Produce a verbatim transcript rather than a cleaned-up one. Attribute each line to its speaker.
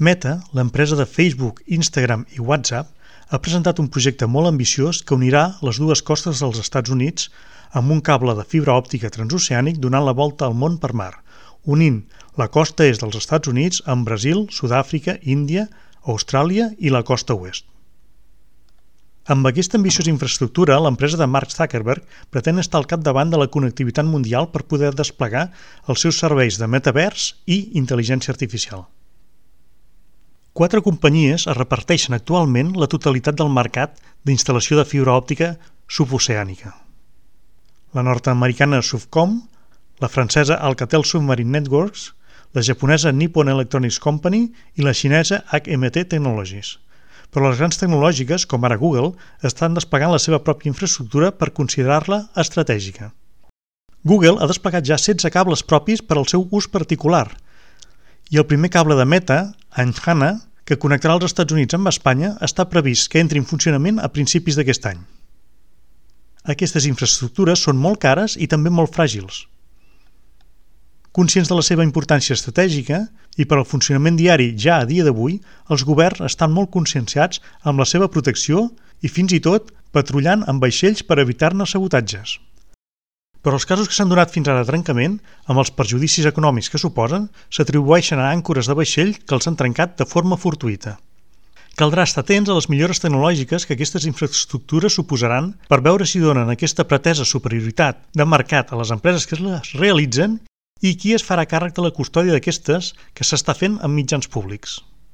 Speaker 1: Meta, l'empresa de Facebook, Instagram i WhatsApp, ha presentat un projecte molt ambiciós que unirà les dues costes dels Estats Units amb un cable de fibra òptica transoceànic donant la volta al món per mar, unint la costa est dels Estats Units amb Brasil, Sud-àfrica, Índia, Austràlia i la costa oest. Amb aquesta ambiciosa infraestructura, l'empresa de Mark Zuckerberg pretén estar al capdavant de la connectivitat mundial per poder desplegar els seus serveis de metavers i intel·ligència artificial. Quatre companyies es reparteixen actualment la totalitat del mercat d'instal·lació de fibra òptica suboceànica. La nord-americana Sufcom, la francesa Alcatel Submarine Networks, la japonesa Nippon Electronics Company i la xinesa H M T Technologies. Però les grans tecnològiques, com ara Google, estan desplegant la seva pròpia infraestructura per considerar-la estratègica. Google ha desplegat ja setze cables propis per al seu ús particular, i el primer cable de Meta, Anjana, que connectarà els Estats Units amb Espanya, està previst que entri en funcionament a principis d'aquest any. Aquestes infraestructures són molt cares i també molt fràgils. Conscients de la seva importància estratègica i per al funcionament diari ja a dia d'avui, els governs estan molt conscienciats amb la seva protecció i fins i tot patrullant amb vaixells per evitar-ne sabotatges. Però els casos que s'han donat fins ara de trencament, amb els perjudicis econòmics que suposen, s'atribueixen a àncores de vaixell que els han trencat de forma fortuïta. Caldrà estar atents a les millores tecnològiques que aquestes infraestructures suposaran per veure si donen aquesta pretesa superioritat de mercat a les empreses que les realitzen i qui es farà càrrec de la custòdia d'aquestes que s'està fent amb mitjans públics.